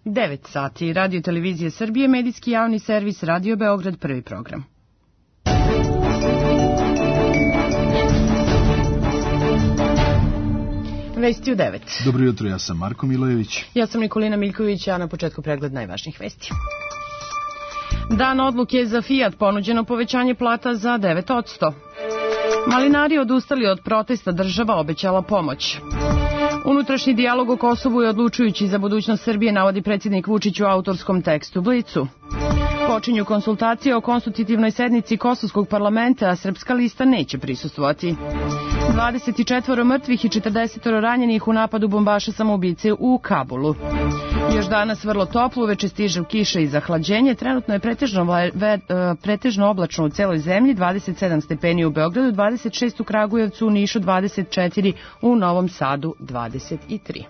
9 sati, Radio Televizije Srbije, medijski javni servis, Radio Beograd, prvi program. Vesti u 9. Dobro jutro, ja sam Marko Milojević. Ja sam Nikolina Miljković, a na početku pregled najvažnijih vesti. Dan odluke za Fiat, ponuđeno povećanje plata za 9%. Malinari odustali od protesta, država obećala pomoć. Unutrašnji dijalog o Kosovu je odlučujući za budućnost Srbije, navodi predsjednik Vučić u autorskom tekstu Blicu. Počinju konsultacije o konstitutivnoj sednici Kosovskog parlamenta, a Srpska lista neće prisustvovati. 24 mrtvih i 40 ranjenih u napadu bombaša samoubice u Kabulu. Još danas vrlo toplo, uveče stiže kiša i zahlađenje. Trenutno je pretežno oblačno u celoj zemlji, 27 stepeni u Beogradu, 26 u Kragujevcu, u Nišu 24, u Novom Sadu 23.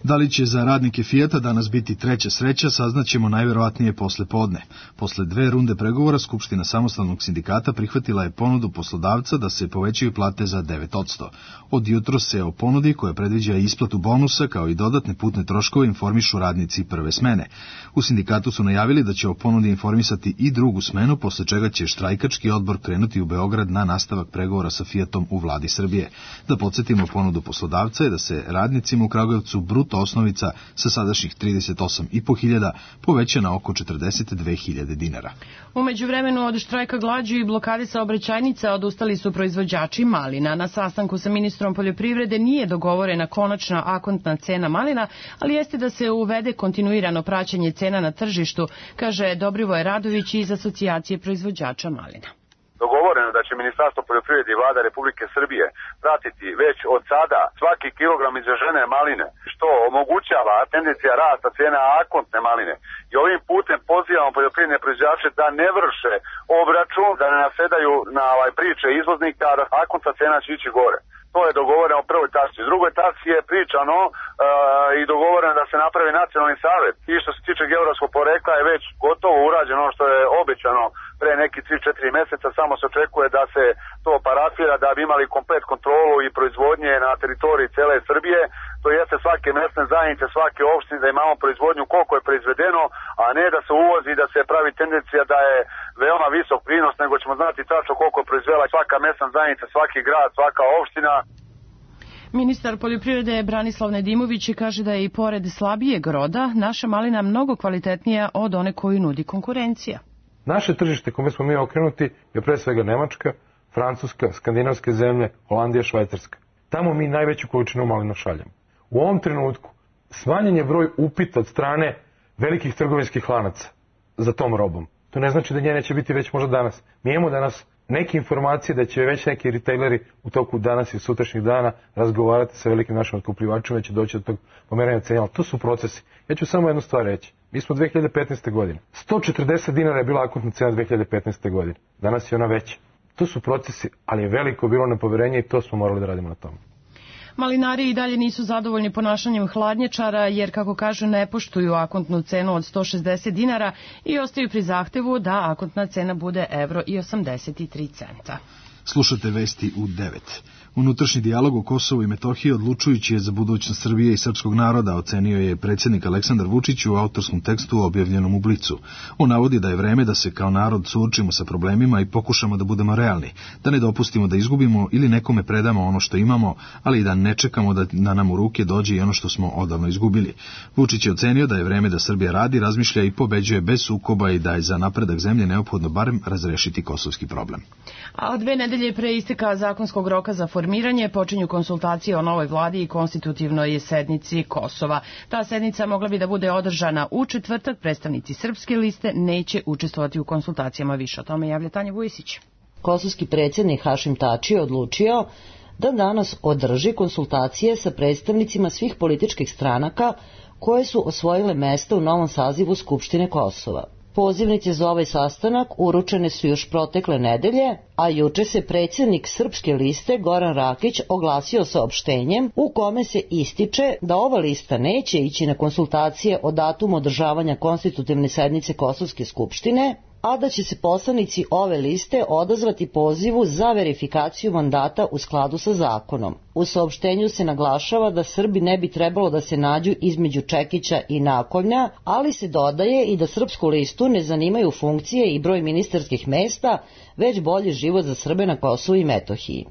Da li će za radnike Fijata danas biti treća sreća, saznaćemo najverovatnije posle podne. Posle 2 runde pregovora, Skupština samostalnog sindikata prihvatila je ponudu poslodavca da se povećaju plate za 9%. Od jutro se o ponudi, koja predviđa isplatu bonusa kao i dodatne putne troškove, informišu radnici prve smene. U sindikatu su najavili da će o ponudi informisati i drugu smenu, posle čega će štrajkački odbor krenuti u Beograd na nastavak pregovora sa Fijatom u vladi Srbije. Da podsjetimo, ponudu poslodavca je da se radnicima u Kragujevcu bruto osnovica sa sadašnjih 38.500 poveća na oko 42.000 dinara. U međuvremenu od štrajka glađu i blokade saobraćajnica odustali su proizvođači malina. Na sastanku sa ministrom poljoprivrede nije dogovorena konačna akontna cena malina, ali jeste da se uvede kontinuirano praćenje cena na tržištu, kaže Dobrivoje Radović iz Asocijacije proizvođača malina. Dogovoreno da će Ministarstvo poljoprivrede i Vlada Republike Srbije pratiti već od sada svaki kilogram izvežene maline, što omogućava tendencija rasta cijena akontne maline. I ovim putem pozivamo poljoprivredne proizvođače da ne vrše obračun, da ne nasedaju na priče izvoznika, da akontna cena će ići gore. To je dogovoreno u prvoj tački. U drugoj tački je pričano i dogovoreno da se napravi nacionalni savjet. I što se tiče geografskog porekla je već gotovo urađeno, što je obećano pre neki 3-4 meseca, samo se očekuje da se to parafira da bi imali komplet kontrolu i proizvodnje na teritoriji cele Srbije. To jeste svake mesne zajednice, svake opštine da imamo proizvodnju koliko je proizvedeno, a ne da se uvozi i da se pravi tendencija da je veoma visok prinos, nego ćemo znati tačno koliko je proizvela svaka mesna zajednica, svaki grad, svaka opština. Ministar poljoprivrede Branislav Nedimović kaže da je i pored slabijeg roda naša malina mnogo kvalitetnija od one koju nudi konkurencija. Naše tržište kome smo mi okrenuti je pre svega Nemačka, Francuska, skandinavske zemlje, Holandija, Švajcarska. Tamo mi najveću količinu malina šaljamo. U ovom trenutku smanjen je broj upita od strane velikih trgovinskih lanaca za tom robom. To ne znači da nje neće biti već možda danas. Mi imamo danas neke informacije da će već neki retaileri u toku danas i sutrašnjih dana razgovarati sa velikim našim otkupljivačima, da će doći do tog pomeranja cena, ali to su procesi. Ja ću samo jednu stvar reći. Mi smo 2015. godine. 140 dinara je bila akontna cena 2015. godine. Danas je ona veća. To su procesi, ali je veliko bilo nepoverenje i to smo morali da radimo na tome. Malinari i dalje nisu zadovoljni ponašanjem hladnjačara jer, kako kažu, ne poštuju akontnu cenu od 160 dinara i ostaju pri zahtevu da akontna cena bude €83. Slušate vesti u 9. Unutrašnji dijalog o Kosovu i Metohiji odlučujući je za budućnost Srbije i srpskog naroda, ocenio je predsjednik Aleksandar Vučić u autorskom tekstu objavljenom u Blicu. On navodi da je vreme da se kao narod suočimo sa problemima i pokušamo da budemo realni, da ne dopustimo da izgubimo ili nekome predamo ono što imamo, ali i da ne čekamo da nam u ruke dođe i ono što smo odavno izgubili. Vučić je ocenio da je vreme da Srbija radi, razmišlja i pobeđuje bez sukoba i da je za napredak zemlje neophodno barem razrešiti kosovski problem. A 2 nedelje pre isteka zakonskog roka za formiranje počinju konsultacije o novoj vladi i konstitutivnoj sednici Kosova. Ta sednica mogla bi da bude održana u četvrtak. Predstavnici Srpske liste neće učestvovati u konsultacijama. Više o tome javlja Tanja Vujisić. Kosovski predsjednik Hašim Tači je odlučio da danas održi konsultacije sa predstavnicima svih političkih stranaka koje su osvojile mesta u novom sazivu Skupštine Kosova. Pozivnice za ovaj sastanak uručene su još protekle nedelje, a juče se predsjednik Srpske liste Goran Rakić oglasio saopštenjem u kome se ističe da ova lista neće ići na konsultacije o datumu održavanja konstitutivne sednice Kosovske skupštine, a da će se poslanici ove liste odazvati pozivu za verifikaciju mandata u skladu sa zakonom. U saopštenju se naglašava da Srbi ne bi trebalo da se nađu između čekića i nakovnja, ali se dodaje i da srpsku listu ne zanimaju funkcije i broj ministarskih mesta, već bolji život za Srbe na Kosovu i Metohiji.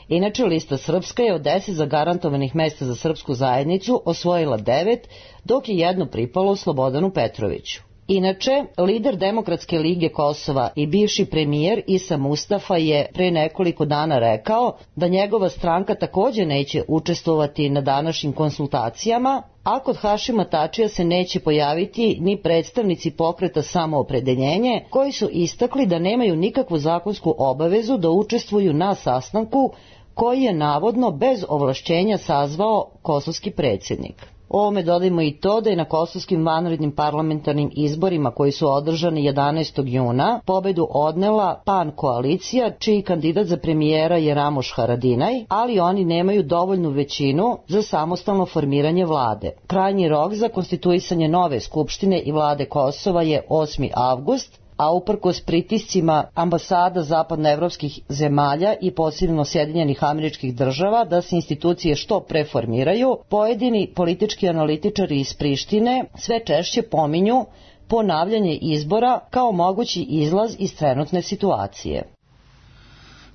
Inače, lista Srpska je od 10 zagarantovanih mesta za srpsku zajednicu osvojila 9, dok je jedno pripalo Slobodanu Petroviću. Inače, lider Demokratske lige Kosova i bivši premijer Isa Mustafa je pre nekoliko dana rekao da njegova stranka takođe neće učestvovati na današnjim konsultacijama, a kod Hašima Tačija se neće pojaviti ni predstavnici pokreta Samoopredeljenje, koji su istakli da nemaju nikakvu zakonsku obavezu da učestvuju na sastanku koji je navodno bez ovlašćenja sazvao kosovski predsjednik. Ovome dodajmo i to da je na kosovskim vanrednim parlamentarnim izborima koji su održani 11. juna pobedu odnela PAN koalicija, čiji kandidat za premijera je Ramoš Haradinaj, ali oni nemaju dovoljnu većinu za samostalno formiranje vlade. Krajnji rok za konstituisanje nove skupštine i vlade Kosova je 8. avgust, a uprkos pritiscima ambasada zapadnoevropskih zemalja i posebno Sjedinjenih Američkih Država da se institucije što pre formiraju, pojedini politički analitičari iz Prištine sve češće pominju ponavljanje izbora kao mogući izlaz iz trenutne situacije.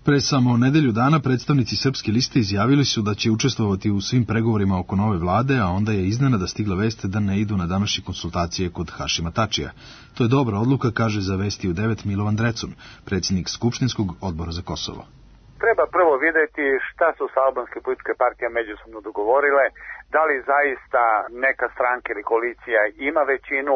Pre samo nedelju dana predstavnici Srpske liste izjavili su da će učestvovati u svim pregovorima oko nove vlade, a onda je iznenada stigla vest da ne idu na današnje konsultacije kod Hašima Tačija. To je dobra odluka, kaže za Vesti u 9 Milovan Drecun, predsjednik Skupštinskog odbora za Kosovo. Treba prvo vidjeti šta su se albanske političke partije međusobno dogovorile, da li zaista neka stranka ili koalicija ima većinu,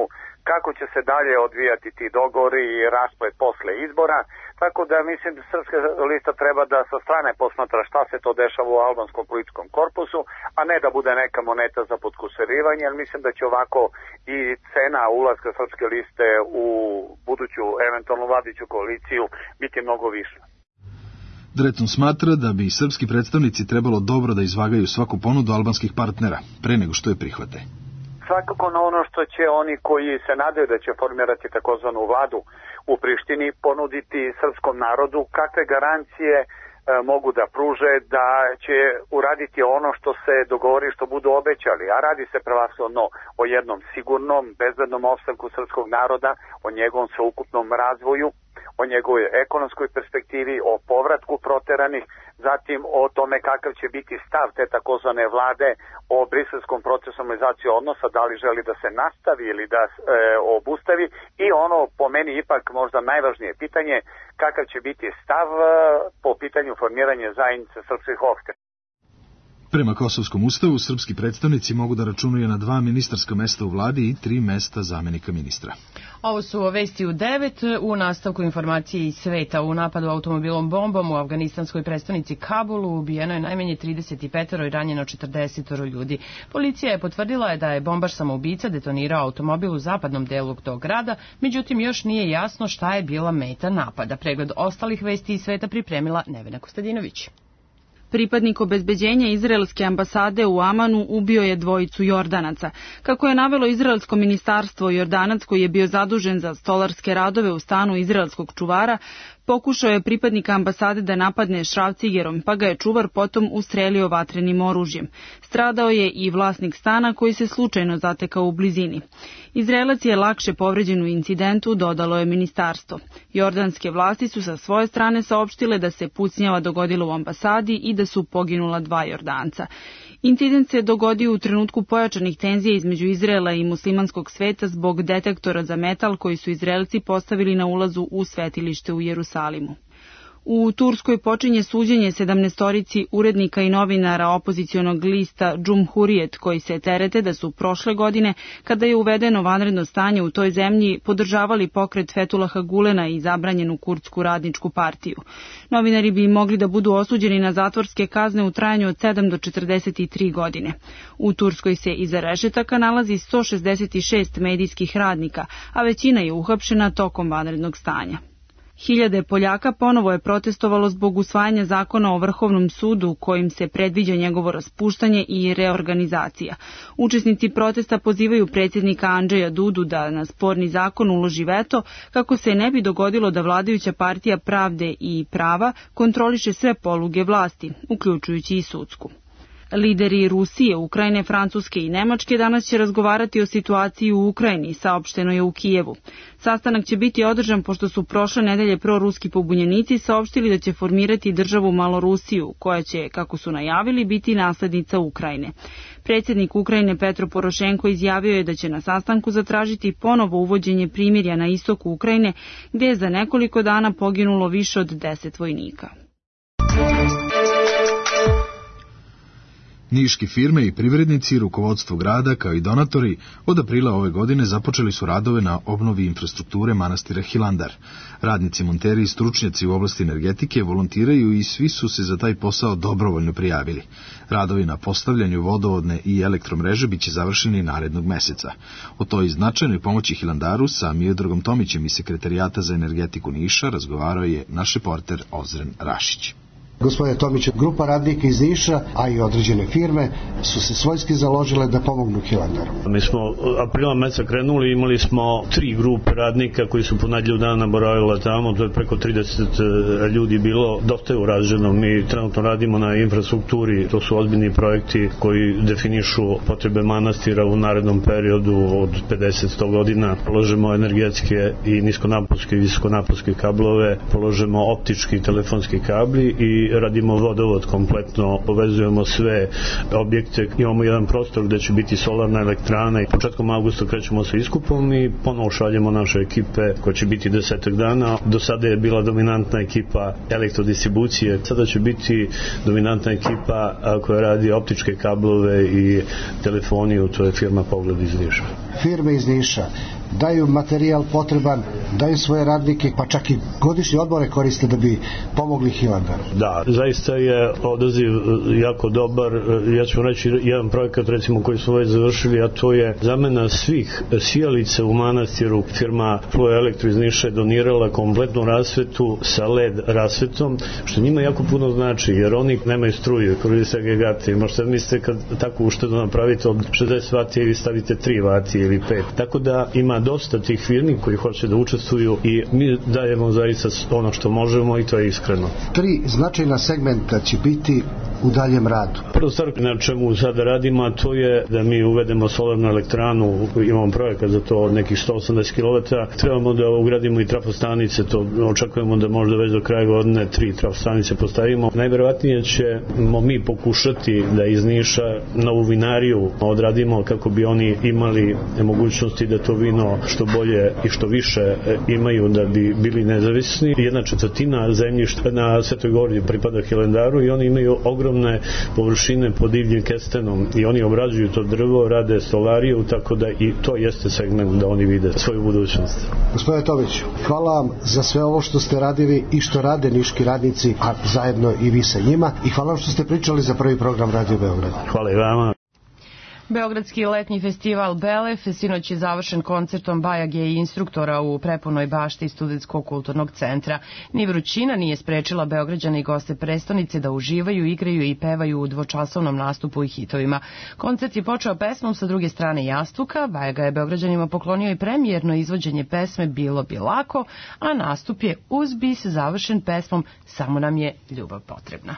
kako će se dalje odvijati ti dogovori i rasplet posle izbora, tako da mislim da Srpska lista treba da sa strane posmatra šta se to dešava u albanskom političkom korpusu, a ne da bude neka moneta za podkusurivanje, jer mislim da će ovako i cena ulaska Srpske liste u buduću eventualnu vladiću koaliciju biti mnogo više. Dretun smatra da bi srpski predstavnici trebalo dobro da izvagaju svaku ponudu albanskih partnera, pre nego što je prihvate. Svakako na ono što će oni koji se nadaju da će formirati takozvanu vladu u Prištini ponuditi srpskom narodu, kakve garancije mogu da pruže da će uraditi ono što se dogovori, što budu obećali, a radi se prevashodno o jednom sigurnom, bezbednom opstanku srpskog naroda, o njegovom sveukupnom razvoju, o njegovoj ekonomskoj perspektivi, o povratku proteranih, zatim o tome kakav će biti stav te takozvane vlade o briselskom procesu normalizacije odnosa, da li želi da se nastavi ili da obustavi, i ono po meni ipak možda najvažnije pitanje, kakav će biti stav po pitanju formiranja zajednice srpskih opština. Prema Kosovskom ustavu, srpski predstavnici mogu da računaju na 2 ministarska mesta u vladi i 3 mesta zamenika ministra. Ovo su Vesti u 9, u nastavku informacije iz sveta. U napadu automobilom bombom u afganistanskoj prestonici Kabulu ubijeno je najmanje 35 i ranjeno 40 ljudi. Policija je potvrdila da je bombaš samoubica detonirao automobil u zapadnom delu tog grada, međutim još nije jasno šta je bila meta napada. Pregled ostalih vesti iz sveta pripremila Nevena Kostadinović. Pripadnik obezbeđenja izraelske ambasade u Amanu ubio je 2 Jordanaca. Kako je navelo izraelsko ministarstvo, Jordanac koji je bio zadužen za stolarske radove u stanu izraelskog čuvara, pokušao je pripadnika ambasade da napadne šrafcigerom, pa ga je čuvar potom ustrelio vatrenim oružjem. Stradao je i vlasnik stana koji se slučajno zatekao u blizini. Izraelac je lakše povređen u incidentu, dodalo je ministarstvo. Jordanske vlasti su sa svoje strane saopštile da se pucnjava dogodila u ambasadi i da su poginula 2 Jordanca. Incident se dogodio u trenutku pojačanih tenzija između Izraela i muslimanskog sveta zbog detektora za metal koji su Izraelci postavili na ulazu u svetilište u Jerusalimu. U Turskoj počinje suđenje 17 urednika i novinara opozicionog lista Cumhuriyet koji se terete da su prošle godine, kada je uvedeno vanredno stanje u toj zemlji, podržavali pokret Fethullaha Gulena i zabranjenu kurdsku radničku partiju. Novinari bi mogli da budu osuđeni na zatvorske kazne u trajanju od 7 do 43 godine. U Turskoj se iza rešetaka nalazi 166 medijskih radnika, a većina je uhapšena tokom vanrednog stanja. Hiljade Poljaka ponovo je protestovalo zbog usvajanja zakona o Vrhovnom sudu kojim se predviđa njegovo raspuštanje i reorganizacija. Učesnici protesta pozivaju predsjednika Andžeja Dudu da na sporni zakon uloži veto kako se ne bi dogodilo da vladajuća partija Pravde i prava kontroliše sve poluge vlasti, uključujući i sudsku. Lideri Rusije, Ukrajine, Francuske i Nemačke danas će razgovarati o situaciji u Ukrajini, saopšteno je u Kijevu. Sastanak će biti održan pošto su prošle nedelje proruski pobunjenici saopštili da će formirati državu Malorusiju, koja će, kako su najavili, biti naslednica Ukrajine. Predsjednik Ukrajine Petro Porošenko izjavio je da će na sastanku zatražiti ponovo uvođenje primirja na istoku Ukrajine, gdje je za nekoliko dana poginulo više od 10 vojnika. Niški firme i privrednici, rukovodstvo grada kao i donatori od aprila ove godine započeli su radove na obnovi infrastrukture manastira Hilandar. Radnici, monteri i stručnjaci u oblasti energetike volontiraju i svi su se za taj posao dobrovoljno prijavili. Radovi na postavljanju vodovodne i elektromreže biće završeni narednog meseca. O toj značajnoj pomoći Hilandaru sa Miodragom Tomićem iz Sekretarijata za energetiku Niša razgovarao je naš reporter Ozren Rašić. Gospodine Tomić, grupa radnika iz Niša, a i određene firme su se svojski založile da pomognu Hilandaru. Mi smo aprila meseca krenuli, imali smo 3 grupe radnika koji su po nedelju dana boravila tamo, to je preko 30 ljudi bilo, dosta je urađeno. Mi trenutno radimo na infrastrukturi, to su ozbiljni projekti koji definišu potrebe manastira u narednom periodu od 50-100 godina. Položemo energetske i niskonaponske i visokonaponske kablove, položemo optički i telefonski kabli i radimo vodovod kompletno, povezujemo sve objekte. Imamo jedan prostor gde će biti solarna elektrana i početkom avgusta krećemo sa iskupom i ponovo šaljemo naše ekipe koje će biti 10 dana. Do sada je bila dominantna ekipa elektrodistribucije, sada će biti dominantna ekipa koja radi optičke kablove i telefoniju, to je firma Pogled iz Niša. Firme iz Niša daju materijal potreban, daju svoje radnike, pa čak i godišnje odmore koriste da bi pomogli Hilandaru. Da, zaista je odaziv jako dobar. Ja ću reći jedan projekat recimo koji smo već završili, a to je zamena svih sijalica u manastiru. Firma Flow Elektro iz Niša je donirala kompletnu rasvetu sa LED rasvetom, što njima jako puno znači, jer oni nemaju struje, koriste agregate. Možete mislite kad takvu uštedu napravite od 60 vati ili stavite 3 vati ili 5. Tako da ima dosta tih firmi koji hoće da učestvuju i mi dajemo zaista ono što možemo i to je iskreno. 3 značajna segmenta će biti u daljem radu. Prvo stvar na čemu sada radimo, a to je da mi uvedemo solarnu elektranu, imamo projekat za to od nekih 180 kW, trebamo da ugradimo i trafostanice, to očekujemo da možda već do kraja godine 3 trafostanice postavimo. Najverovatnije ćemo mi pokušati da iz Niša novu vinariju odradimo kako bi oni imali mogućnosti da to vino što bolje i što više imaju da bi bili nezavisni. 1/4 zemljišta na Svetoj Gori pripada Hilandaru i oni imaju ogromne površine pod divljim kestenom i oni obrađuju to drvo, rade stolariju, tako da i to jeste segment da oni vide svoju budućnost. Gospodine Tomić, hvala vam za sve ovo što ste radili i što rade niški radnici, a zajedno i vi sa njima, i hvala vam što ste pričali za prvi program Radio Beograd. Hvala i vama. Beogradski letnji festival Belef sinoć je završen koncertom bajage i instruktora u prepunoj bašti Studentskog kulturnog centra. Ni vrućina nije sprečila Beograđane i goste prestonice da uživaju, igraju i pevaju u dvočasovnom nastupu i hitovima. Koncert je počeo pesmom Sa druge strane jastuka, Bajaga je Beograđanima poklonio i premijerno izvođenje pesme Bilo bi lako, a nastup je uz bis završen pesmom Samo nam je ljubav potrebna.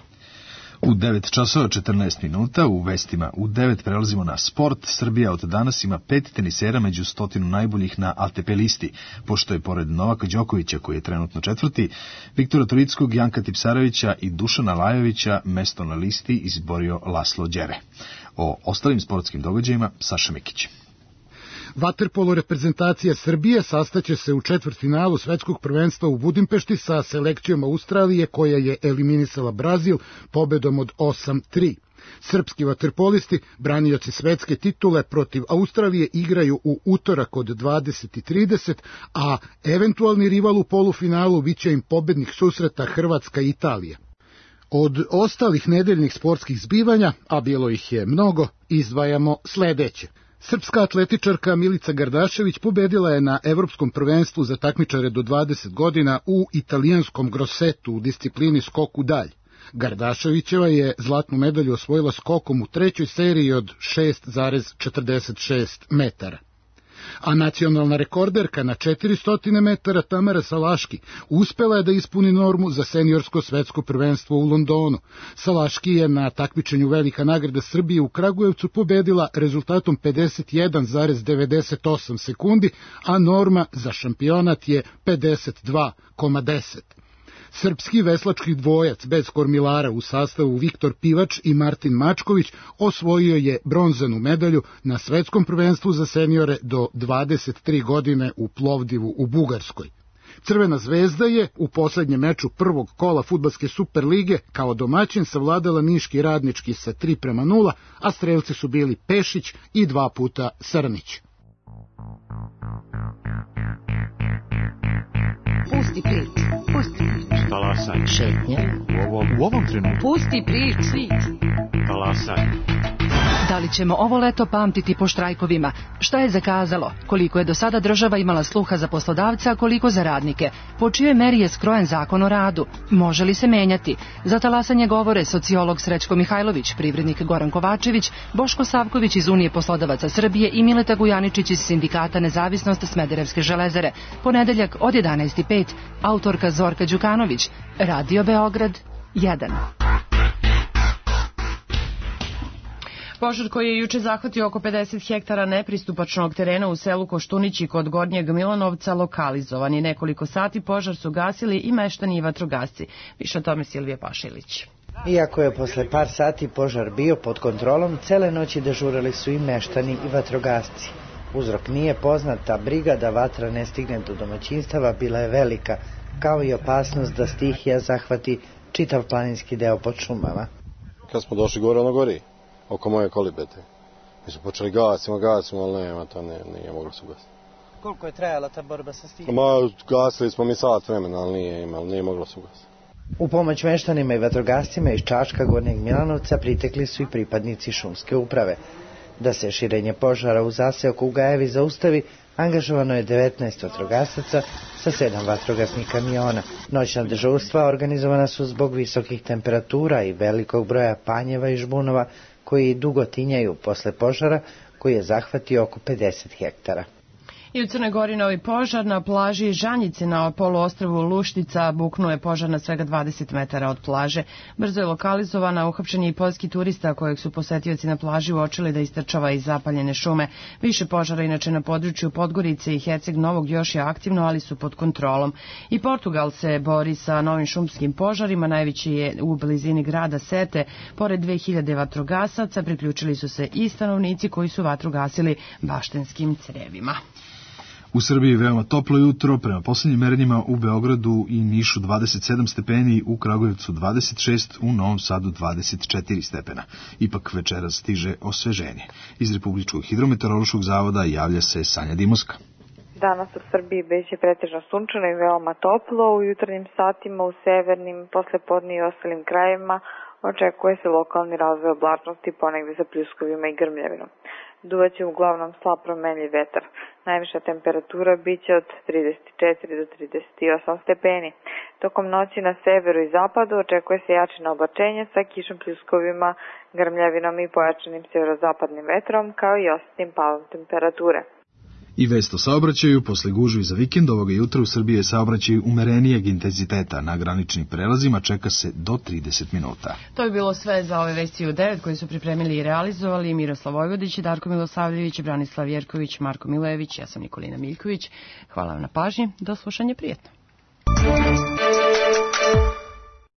U 9 časova 14 minuta u vestima u 9 prelazimo na sport. Srbija od danas ima 5 tenisera među 100 najboljih na ATP listi, pošto je pored Novaka Đokovića, koji je trenutno 4., Viktora Turickog, Janka Tipsarevića i Dušana Lajovića mesto na listi izborio Laslo Đere. O ostalim sportskim događajima Saša Mikić. Vaterpolo reprezentacija Srbije sastaće se u četvrtfinalu svetskog prvenstva u Budimpešti sa selekcijom Australije, koja je eliminisala Brazil pobedom od 8-3. Srpski vaterpolisti, branioci svetske titule protiv Australije, igraju u utorak od 20:30, a eventualni rival u polufinalu biće im pobednik susreta Hrvatska i Italija. Od ostalih nedeljnih sportskih zbivanja, a bilo ih je mnogo, izdvajamo sledeće. Srpska atletičarka Milica Gardašević pobedila je na Evropskom prvenstvu za takmičare do 20 godina u italijanskom Grossetu u disciplini skok u dalj. Gardaševićeva je zlatnu medalju osvojila skokom u trećoj seriji od 6,46 metara. A nacionalna rekorderka na 400 metara Tamara Salaški uspela je da ispuni normu za seniorsko svetsko prvenstvo u Londonu. Salaški je na takmičenju Velika nagrada Srbije u Kragujevcu pobedila rezultatom 51,98 sekundi, a norma za šampionat je 52,10. Srpski veslački dvojac bez kormilara u sastavu Viktor Pivač i Martin Mačković osvojio je bronzanu medalju na svetskom prvenstvu za seniore do 23 godine u Plovdivu u Bugarskoj. Crvena zvezda je u poslednjem meču prvog kola fudbalske Superlige kao domaćin savladala niški Radnički sa 3:0, a strelci su bili Pešić i 2 puta Srnić. Pusti priču, pusti priču. Talasaj. Šetnja. U ovom trenutku. Pusti priču. Talasaj. Da li ćemo ovo leto pamtiti po štrajkovima? Šta je zakazalo? Koliko je do sada država imala sluha za poslodavca, a koliko za radnike? Po čijoj meri je skrojen zakon o radu? Može li se menjati? Za talasanje govore sociolog Srećko Mihajlović, privrednik Goran Kovačević, Boško Savković iz Unije poslodavaca Srbije i Mileta Gujaničić iz Sindikata Nezavisnost Smederevske železare. Ponedeljak od 11:05, autorka Zorka Đukanović, Radio Beograd 1. Požar koji je juče zahvatio oko 50 hektara nepristupačnog terena u selu Koštunići kod Gornjeg Milanovca lokalizovan je. Nekoliko sati požar su gasili i meštani i vatrogasci. Više o tome Silvija Pašilić. Iako je posle par sati požar bio pod kontrolom, cele noći dežurali su i meštani i vatrogasci. Uzrok nije poznat, ta briga da vatra ne stigne do domaćinstava bila je velika, kao i opasnost da stihija zahvati čitav planinski deo pod šumama. Kad smo došli gore, ono gori. Oko moje kolibete. Mi smo počeli gasimo, ali nema, to nije moglo se ugasiti. Koliko je trajala ta borba sa stihijom? Gasili smo mi sat vremena, ali nije moglo se ugasiti. U pomoć meštanima i vatrogascima iz Čačka, Gornjeg Milanovca pritekli su i pripadnici šumske uprave. Da se širenje požara u zaseoku u Gajevi zaustavi, angažovano je 19 vatrogasaca sa 7 vatrogasnih kamiona. Noćna dežurstva organizovana su zbog visokih temperatura i velikog broja panjeva i žbunova koji dugo tinjaju posle požara koji je zahvatio oko 50 hektara. I u Crnoj Gori novi požar na plaži Žanjice na poluostrvu Luštica. Buknuo je požar na svega 20 metara od plaže. Brzo je lokalizovana, uhapšen je i poljski turista kojeg su posetioci na plaži uočili da istrčava iz zapaljene šume. Više požara inače na području Podgorice i Herceg Novog još je aktivno, ali su pod kontrolom. I Portugal se bori sa novim šumskim požarima, najveći je u blizini grada Sete. Pored 2000 vatrogasaca priključili su se i stanovnici koji su vatru gasili baštenskim crevima. U Srbiji veoma toplo jutro, prema poslednjim merenjima u Beogradu i Nišu 27 stepeni, u Kragujevcu 26, u Novom Sadu 24 stepena. Ipak večeras stiže osveženje. Iz Republičkog hidrometeorološkog zavoda javlja se Sanja Dimoska. Danas u Srbiji biće pretežno sunčano i veoma toplo. U jutarnjim satima u severnim, poslepodne i ostalim krajevima očekuje se lokalni razvoj oblačnosti, ponegde sa pljuskovima i grmljavinom. Duvaće uglavnom slab promenljiv vetar. Najviša temperatura biće od 34 do 38 stepeni. Tokom noći na severu i zapadu očekuje se jačino oblačenje sa kišom, pljuskovima, grmljavinom i pojačanim severozapadnim vetrom, kao i osjetnim padom temperature. I vest o saobraćaju, posle gužvi za vikend ovoga jutra u Srbiji je saobraćaj umerenijeg intenziteta. Na graničnim prelazima čeka se do 30 minuta. To je bilo sve za ove vesti u 9 koji su pripremili i realizovali Miroslav Vojvodić, Darko Milosavljević, Branislav Jerković, Marko Milejević, ja sam Nikolina Miljković. Hvala vam na pažnji, do slušanja, prijetno.